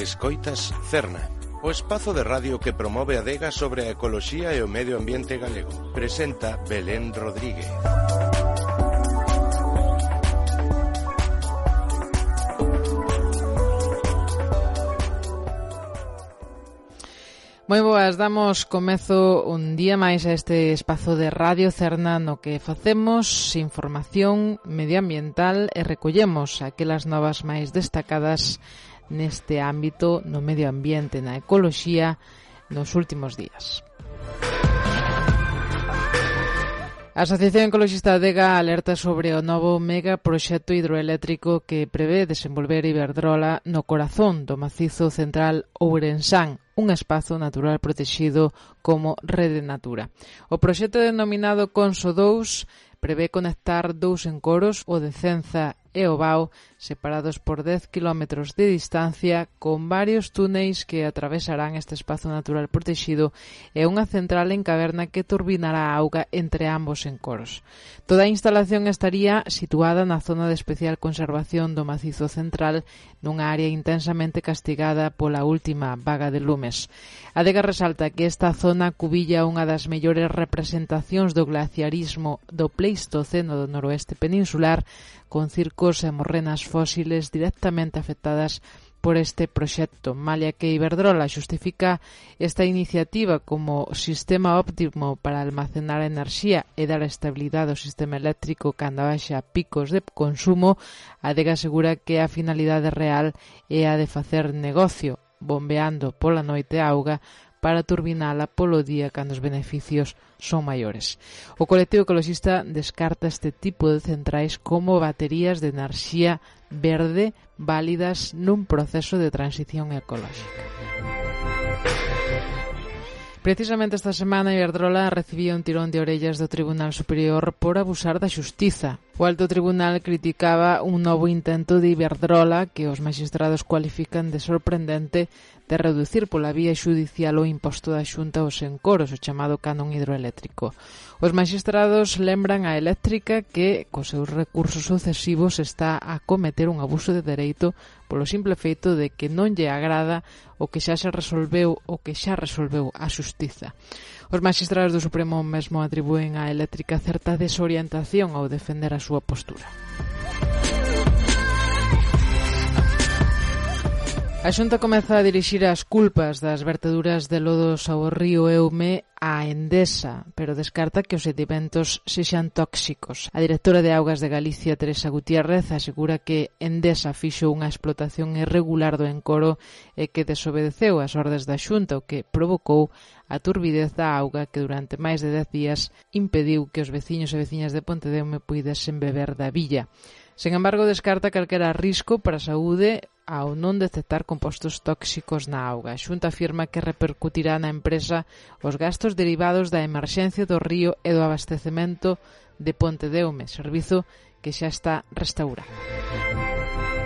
Escoitas Cerna, o espazo de radio que promove a adega sobre a ecoloxía e o medio ambiente galego. Presenta Belén Rodríguez. Moi boas, damos comezo un día máis a este espazo de Radio Cerna no que facemos información medioambiental e recollemos aquelas novas máis destacadas neste ámbito no medio ambiente, na ecoloxía, nos últimos días. A Asociación Ecoloxista Adega alerta sobre o novo megaproxecto hidroeléctrico que prevé desenvolver Iberdrola no corazón do macizo central Ourensán, un espazo natural protegido como Rede Natura. O proxecto denominado Conso 2 prevé conectar dous encoros, o de Cenza e o Bao, separados por 10 km de distancia, con varios túneis que atravesarán este espazo natural protegido e unha central en caverna que turbinará a auga entre ambos encoros. Toda a instalación estaría situada na zona de especial conservación do macizo central, nunha área intensamente castigada pola última vaga de lumes. A Adega resalta que esta zona cubilla unha das mellores representacións do glaciarismo do Pleistoceno do noroeste peninsular, con circos e morrenas fósiles directamente afectadas por este proxecto, malia que Iberdrola xustifica esta iniciativa como sistema óptimo para almacenar enerxía e dar estabilidade ao sistema eléctrico cando haxa picos de consumo. A Adega asegura que a finalidade real é a de facer negocio, bombeando pola noite a auga para turbinala polo día cando os beneficios son maiores. O colectivo ecoloxista descarta este tipo de centrais como baterías de enerxía verde válidas nun proceso de transición ecolóxica. Precisamente esta semana Iberdrola recibía un tirón de orellas do Tribunal Superior por abusar da xustiza. O alto tribunal criticaba un novo intento de Iberdrola que os maxistrados cualifican de sorprendente de reducir pola vía xudicial o imposto da Xunta aos encoros, o chamado canon hidroeléctrico. Os maxistrados lembran a eléctrica que, cos seus recursos sucesivos, está a cometer un abuso de dereito polo simple feito de que non lle agrada o que xa se resolveu a xustiza. Os maxistrados do Supremo mesmo atribúen á eléctrica certa desorientación ao defender a súa postura. A Xunta comeza a dirixir as culpas das verteduras de lodos ao río Eume a Endesa, pero descarta que os sedimentos sexan tóxicos. A directora de Augas de Galicia, Teresa Gutiérrez, asegura que Endesa fixo unha explotación irregular do encoro e que desobedeceu as ordes da Xunta, o que provocou a turbidez da auga que durante máis de 10 días impediu que os veciños e veciñas de Pontedeume puidesen beber da billa. Sen embargo, descarta calquera risco para a saúde ao non detectar compostos tóxicos na auga. A Xunta afirma que repercutirá na empresa os gastos derivados da emerxencia do río e do abastecemento de Pontedeume, servizo que xa está restaurado.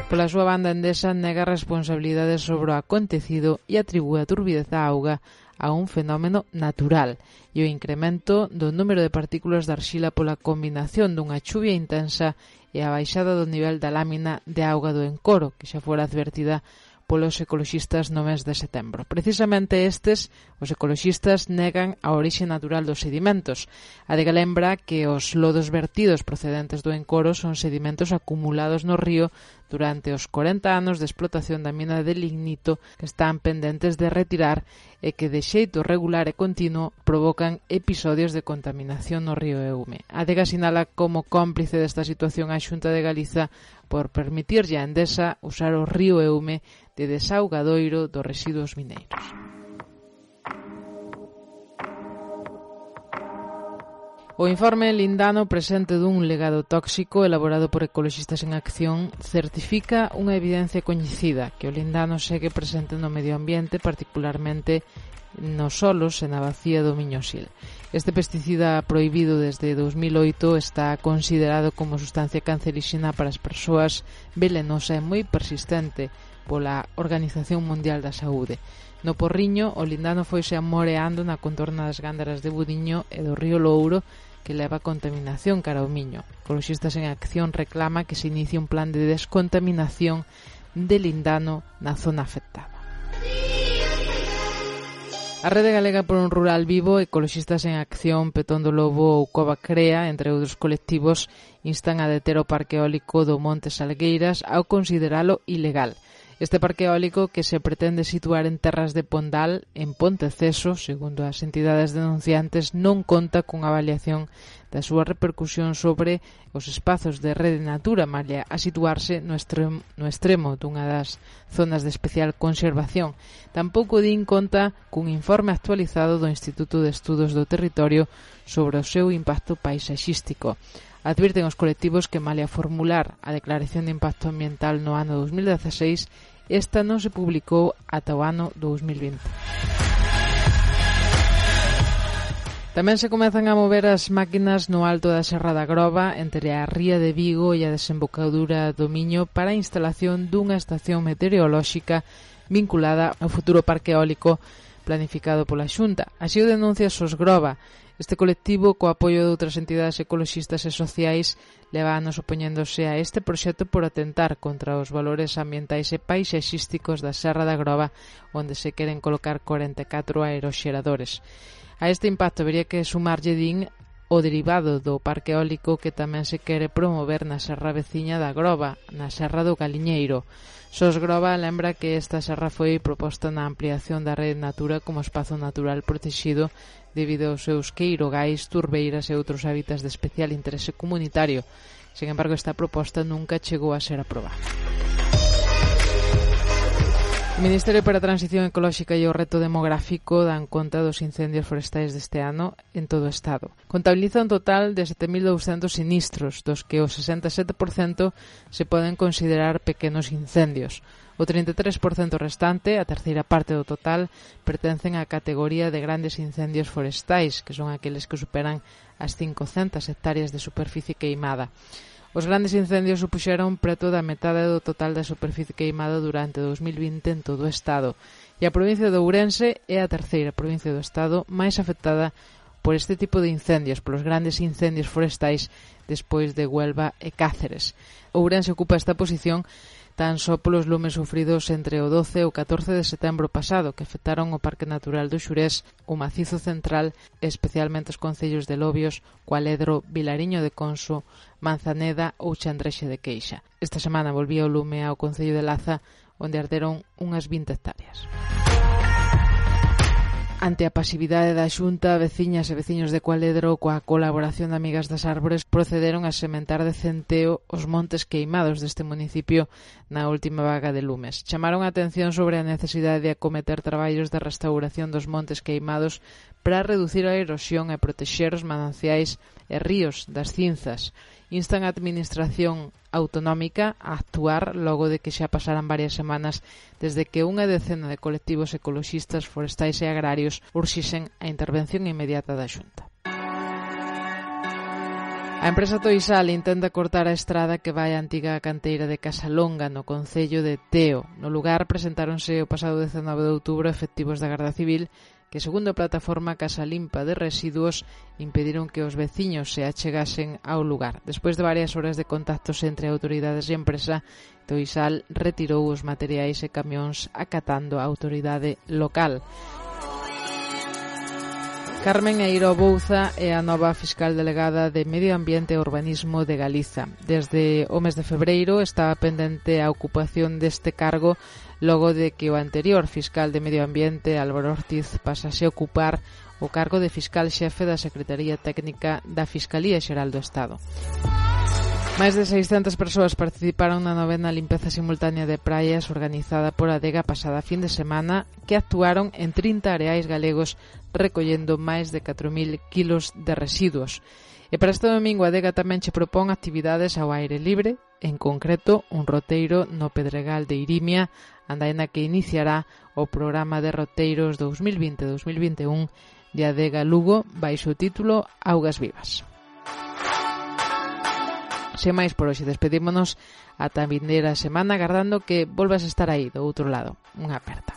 Pola súa banda, Endesa nega responsabilidades sobre o acontecido e atribúe a turbidez da auga a un fenómeno natural e o incremento do número de partículas de arxila pola combinación dunha chuvia intensa e a baixada do nivel da lámina de auga do encoro, que xa fora advertida polos ecoloxistas no mes de setembro. Precisamente estes, os ecoloxistas, negan a orixe natural dos sedimentos. A Adega lembra que os lodos vertidos procedentes do encoro son sedimentos acumulados no río durante os 40 anos de explotación da mina de lignito que están pendentes de retirar e que de xeito regular e continuo provocan episodios de contaminación no río Eume. A Adega sinala como cómplice desta situación a Xunta de Galiza por permitirlle a Endesa usar o río Eume de desaugadoiro dos residuos mineiros. O informe Lindano, presente dun legado tóxico elaborado por Ecoloxistas en Acción, certifica unha evidencia coñecida, que o lindano segue presente no medio ambiente, particularmente nos solos e na bacía do Miñosil. Este pesticida prohibido desde 2008 está considerado como sustancia canceríxena para as persoas, velenosa e moi persistente pola Organización Mundial da Saúde. No Porriño, o lindano foise amoreando na contorna das Gándaras de Budiño e do río Louro, que leva contaminación cara ao Miño. Ecoloxistas en Acción reclama que se inicie un plan de descontaminación de lindano na zona afectada. A Rede Galega por un Rural Vivo, Ecoloxistas en Acción, Petón do Lobo ou Cova Crea, entre outros colectivos, instan a deter o parque eólico do Monte Salgueiras ao consideralo ilegal. Este parque eólico, que se pretende situar en terras de Pondal, en Ponteceso, segundo as entidades denunciantes, non conta cunha avaliación da súa repercusión sobre os espazos de Rede Natura, malia a situarse no extremo dunha das zonas de especial conservación. Tampouco din conta cun informe actualizado do Instituto de Estudos do Territorio sobre o seu impacto paisaxístico. Advirten os colectivos que, malia formular a declaración de impacto ambiental no ano 2016, esta non se publicou ata o ano 2020. Tamén se comezan a mover as máquinas no alto da Serra da Groba, entre a ría de Vigo e a desembocadura do Miño, para a instalación dunha estación meteorolóxica vinculada ao futuro parque eólico planificado pola Xunta. Así o denuncia Sosgroba. Este colectivo, co apoio de outras entidades ecoloxistas e sociais, leva anos opoñéndose a este proxecto por atentar contra os valores ambientais e paisaxísticos da Serra da Groba, onde se queren colocar 44 aeroxeradores. A este impacto habería que sumarlle, din, o derivado do parque eólico que tamén se quere promover na serra veciña da Groba, na Serra do Galiñeiro. Sosgroba lembra que esta serra foi proposta na ampliación da Rede Natura como espazo natural protexido debido aos seus queirogais, turbeiras e outros hábitats de especial interese comunitario. Sen embargo, esta proposta nunca chegou a ser aprobada. O Ministerio para a Transición Ecolóxica e o Reto Demográfico dan conta dos incendios forestais deste ano en todo o Estado. Contabiliza un total de 7.200 sinistros, dos que o 67% se poden considerar pequenos incendios. O 33% restante, a terceira parte do total, pertencen á categoría de grandes incendios forestais, que son aqueles que superan as 500 hectáreas de superficie queimada. Os grandes incendios supuxeron preto da metade do total da superficie queimada durante 2020 en todo o Estado. E a provincia de Ourense é a terceira provincia do Estado máis afectada por este tipo de incendios, polos grandes incendios forestais despois de Huelva e Cáceres. Ourense ocupa esta posición tan só polos lumes sufridos entre o 12 e o 14 de setembro pasado, que afectaron o Parque Natural do Xurés, o Macizo Central e especialmente os concellos de Lobios, Cualedro, Vilariño de Conso, Manzaneda ou Chandrexe de Queixa. Esta semana volvía o lume ao concello de Laza, onde arderon unhas 20 hectáreas. Ante a pasividade da Xunta, veciñas e veciños de Cualedro, coa colaboración de Amigas das Árbores, procederon a sementar de centeo os montes queimados deste municipio na última vaga de lumes. Chamaron a atención sobre a necesidade de acometer traballos de restauración dos montes queimados para reducir a erosión e protexer os mananciais e ríos das cinzas. Instan a Administración Autonómica a actuar logo de que xa pasaran varias semanas desde que unha decena de colectivos ecoloxistas, forestais e agrarios urxisen a intervención inmediata da Xunta. A empresa Toisal intenta cortar a estrada que vai á antiga canteira de Casalonga, no concello de Teo. No lugar presentáronse o pasado 19 de outubro efectivos da Garda Civil que, segundo a plataforma Casa Limpa de Residuos, impediron que os veciños se achegasen ao lugar. Despois de varias horas de contactos entre autoridades e empresa, Toisal retirou os materiais e camións acatando a autoridade local. Carmen Eiro Bouza é a nova fiscal delegada de Medio Ambiente e Urbanismo de Galiza. Desde o mes de febreiro estaba pendente a ocupación deste cargo logo de que o anterior fiscal de Medio Ambiente, Álvaro Ortiz, pasase a ocupar o cargo de fiscal xefe da Secretaría Técnica da Fiscalía Xeral do Estado. Máis de 600 persoas participaron na novena limpeza simultánea de praias organizada por Adega pasada fin de semana, que actuaron en 30 areais galegos recollendo máis de 4.000 kilos de residuos. E para este domingo Adega tamén che propón actividades ao aire libre, en concreto un roteiro no Pedregal de Irimia, andaina que iniciará o programa de roteiros 2020-2021 de Adega Lugo baixo o título Augas Vivas. Sen máis por hoxe, despedímonos ata a vindeira semana, agardando que volvas a estar aí do outro lado. Unha aperta.